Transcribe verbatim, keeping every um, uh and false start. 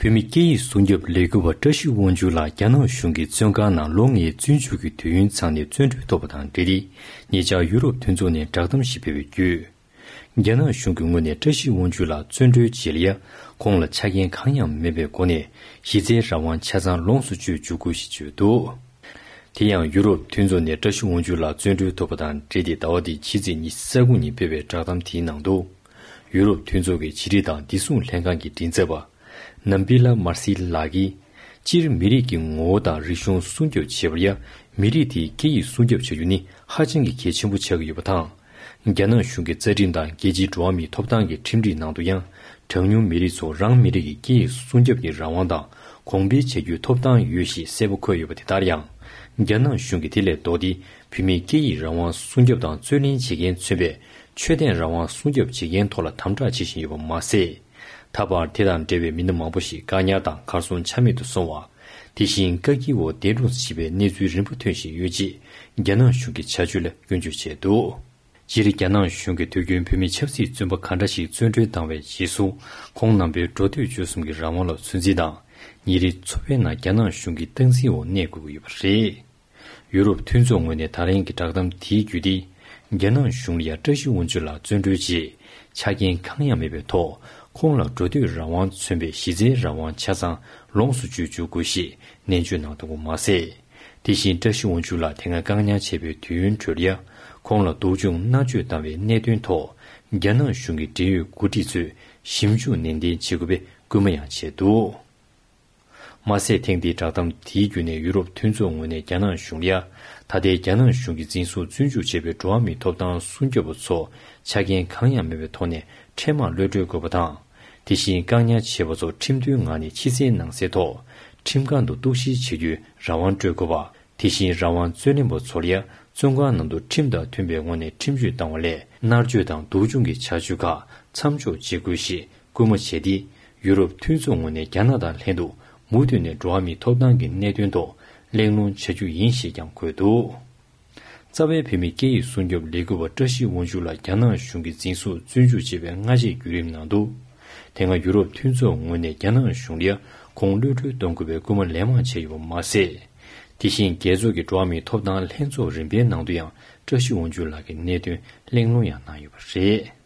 བོད་མི་སྐད་ཡིག་སྲུང་སྐྱོབ་ལས་འགུལ་བ་བཀྲ་ཤིས་དབང་ཕྱུག་ལགས་རྒྱ་ནག་གཞུང་གིས་བཙོན་ཁང་ནང་ལོ་ལྔའི་བཙོན་འཇུག་གི་དུས་ཡུན་ཚང་ནས་བཙོན་གྲོལ་ཐོབ་པ་དང་འབྲེལ་ཏེ། ཉེ་ཆར་ཡུ་རོབ་མཐུན་ཚོགས་ནས་བསྒྲགས་གཏམ་ཞིག་སྤེལ་བའི་བརྒྱུད། རྒྱ་ནག་གཞུང་གི་ངོས་ནས་བཀྲ་ཤིས་དབང་ཕྱུག་ལགས་བཙོན་གྲོལ་རྗེས་ལ་ཡ། ཁོང་ལ་ཆ་རྐྱེན་གང་ཡང་མེད་པའི་སྒོ་ནས་གཞི་རྩའི་རང་དབང་ཆ་ཚང་ལོངས་སུ་སྤྱོད་འཇུག་དགོས་ཞེས་བརྗོད་འདུག། དེ་ཡང་ཡུ་རོབ་མཐུན་ཚོགས་ནས་བཀྲ་ཤིས་དབང་ཕྱུག་ལགས་བཙོན་གྲོལ་ཐོབ་པ་དང་འབྲེལ་ཏེ་ཟླ་བ་འདིའི་ཕྱི་ཚེས་ཉི་ཤུ་རྩ་དགུ་ཉིན་སྤེལ་བའི་བསྒྲགས་གཏམ་དེའི་ནང་དུ། ཡུ་རོབ་མཐུན་ཚོགས་ཀྱི་ཕྱི་དྲིལ་དང་བདེ་སྲུང་ལྷན་ཁང་གི་མགྲིན་ཚབ་པ། ནམ་པི་ལ་མར་སི་ལགས་ཀྱིས། སྤྱིར་མི་རིགས་ཀྱི་ངོ་བོ་དང་རིག་གཞུང་སྲུང་སྐྱོབ་བྱེད་པར་ཡང་མི་རིགས་དེའི་སྐད་ཡིག་སྲུང་སྐྱོབ་བྱ་རྒྱུ་ནི་ཧ་ཅང་གི་གལ་ཆེན་པོ་ཆགས་ཀྱི་ཡོད་པ་དང་། རྒྱ་ནག་གཞུང་གི་རྩ་ཁྲིམས་དང་རྒྱལ་སྤྱིའི་འགྲོ་བ་མིའི་ཐོབ་ཐང་གི་ཁྲིམས་སྒྲིག་ནང་དུ་ཡང་། གྲངས་ཉུང་མི་རིགས་ཚོ་རང་མི་རིགས་ཀྱི་སྐད་ཡིག་སྲུང་སྐྱོབ་ཀྱི་རང་དབང་དང་གོང་འཕེལ་བྱ་རྒྱུའི་ཐོབ་ཐང་ཡོད་ཞེས་གསལ་པོ་འཁོད་ཡོད་པ་དེ་ལྟར་ཡང་། རྒྱ་ནག་གཞུང་གིས་དེ་ལས་ལྡོག་སྟེ་བོད་མིའི་སྐད་ཡིག་རང་དབང་སྲུང་སྐྱོབ་དང་རྩོད་ལེན་བྱེད་མཁན་མཚོན་པའི་ཆོས་དད་རང་དབང་སྲུང་སྐྱོབ་བྱེད་མཁན་ཐོག་ལ་དམ་དྲག་བྱེད་བཞིན་ཡོད་པ་མ་ཟད། ད་བར་དེ་དང་འབྲེལ་བའི་མི་སྣ་མང་པོ་ཞིག་བཀག་ཉར་དང་གར་སོང་ཆ་མེད་དུ་སོང་བ། དེ་བཞིན་བཀག་སྐྱིལ་འོག་འདས་གྲོངས་སུ་ཕྱིན་པའི་གནས་ཚུལ་རིམ་པ་ཐོན་བཞིན་ཡོད་ཅེས་རྒྱ་ནག་གཞུང་གི་བྱ་སྤྱོད་ལ་སྐྱོན་བརྗོད་བྱས་འདུག། སྤྱིར་རྒྱ་ནག་གཞུང་གིས་དུས་རྒྱུན་བོད་མི་ཆབ་སྲིད་བཙོན་པ་ག་འདྲ་ཞིག་བཙོན་གྲོལ་བཏང་བའི་རྗེས་སུ། ཁོང་རྣམ་པའི་འགྲོ་སྡོད་སྤྱོད་གསུམ་གྱི་རང་དབང་ལ་ཚོད་འཛིན་དང་། ཉིན་རེའི་འཚོ་བའི་ནང་རྒྱ་ནག་གཞུང་གི་སྟངས་འཛིན་འོག་གནས་དགོས་ཀྱི་ཡོད་པ་རེད། ཡུ་རོབ་མཐུན་ཚོགས་ངོས་ནས་ད་རིང་གི་བསྒྲགས་གཏམ་དེའི་བརྒྱུད་དེ། རྒྱ་ནག་གཞུང་ལ་ཡང་བཀྲ་ཤིས་དབང་ཕྱུག་ལགས་བཙོན་གྲོལ་རྗེས། ཆ་རྐྱེན་གང་ཡང་མེད་པའི་ཐོག་ཁོང་ལ་འགྲོ་སྡོད་རང་དབང་མཚོན་པའི་གཞི་རྩའི་རང་དབང་ཆ་ཚང་ལོངས་སུ་སྤྱོད་འཇུག་དགོས་ཞེས་ནན་བརྗོད་གནང་འདུག་པ་མ་ཟད། དེ་བཞིན་བཀྲ་ཤིས་དབང་ཕྱུག་ལགས་དེ་སྔ་བཀག་ཉར་བྱས་པའི་དུས་ཡུན་འཕྲོ་ལ་ཡང་། ཁོང་ལ་སྡུག་སྦྱོང་མནར་གཅོད་བཏང་བའི་གནད་དོན་ཐོག་རྒྱ་ནག་གཞུང་གི་འབྲེལ་ཡོད་འགོ་ཁྲིད་ཚོས་ཞིབ་འཇུག་ནན་ཏན་བྱེད་དགོས་པའི་སྐུལ་མ་ཡང་བྱས་འདུག། མ་ཟད། ཐེངས་འདིའི་བསྒྲགས་གཏམ་དེའི་བརྒྱུད་ནས་ཡུ་རོབ་མཐུན་ཚོགས་ངོས་ནས་རྒྱ་ནག་གཞུང་ལ། ད་ལྟའི་རྒྱ་ནག་གཞུང་གིས་འཛིན་བཟུང་བཙོན་འཇུག་བྱས་པའི་འགྲོ་བ་མིའི་ཐོབ་ཐང་སྲུང་སྐྱོབ་པ་ཚོ་ཆ་རྐྱེན་གང་ཡང་མེད་པའི་ཐོག་ནས་འཕྲལ་མར་གློད་གྲོལ་དགོས་པ་དང་། དེ་བཞིན་བཀག་ཉར་བྱས་པ་ཚོ་ཁྲིམས་མཐུན་ངང་ནས་ཕྱི་གསལ་ནང་གསལ་ཐོག་ཁྲིམས་ཁང་དུ་གཏུག་བཤེར་བྱེད་རྒྱུའི་རང་དབང་སྤྲོད་དགོས་པ། དེ་བཞིན་རང་དབང་རྩོད་ལེན་པ་ཚོར་ཡང་བཙོན་ཁང་ནང་དུ་ཁྲིམས་དང་མཐུན་པའི་ངོས་ནས་ཁྲིམས་གཅོད་བཏང་བ་ལས་མནར་གཅོད་དང་སྡུག་སྦྱོང་གི་བྱ་སྤྱོད་ཁག་མཚམས་འཇོག་བྱེད་དགོས་ཞེས་སྐུལ་མ་བྱས་ཏེ། ཡུ་རོབ་མཐུན་ཚོགས་ངོས་ནས་རྒྱ་ནག་དང་ལྷན་དུ་མུ་མཐུད་ནས་འགྲོ་བ་མིའི་ཐོབ་ཐང་གི་གནད་དོན་ཐོག་གླེང་སློང་བྱ་རྒྱུ་ཡིན་ཞེས་ཀྱང་འཁོད་འདུག། རྩ་བའི་བོད་མིའི་སྐད་ཡིག་སྲུང་སྐྱོབ་ལས་འགུལ་བ་བཀྲ་ཤིས་དབང་ཕྱུག་ལགས་རྒྱ་ནག་གཞུང་གིས་འཛིན་བཟུང་བཙོན་འཇུག་བྱས་པའི་སྔ་རྗེས་བརྒྱུད་རིམ་ནང་དུ། དེ་སྔ་ཡུ་རོབ་མཐུན་ཚོགས་ངོས་ནས་རྒྱ་ནག་གཞུང་ལ་ཁོང་གློད་གྲོལ་གཏོང་དགོས་པའི་སྐུལ་མ་ལན་མང་བྱས་ཡོད་པ་མ་ཟད། དེ་བཞིན་རྒྱལ་ཚོགས་ཀྱི་འགྲོ་བ་མིའི་ཐོབ་ཐང་ལྷན་ཚོགས་རིམ་པའི་ནང་དུ་ཡང་བཀྲ་ཤིས་དབང་ཕྱུག་ལགས་ཀྱི་གནད་དོན་གླེང་སློང་ཡང་གནང་ཡོད་པ་རེད།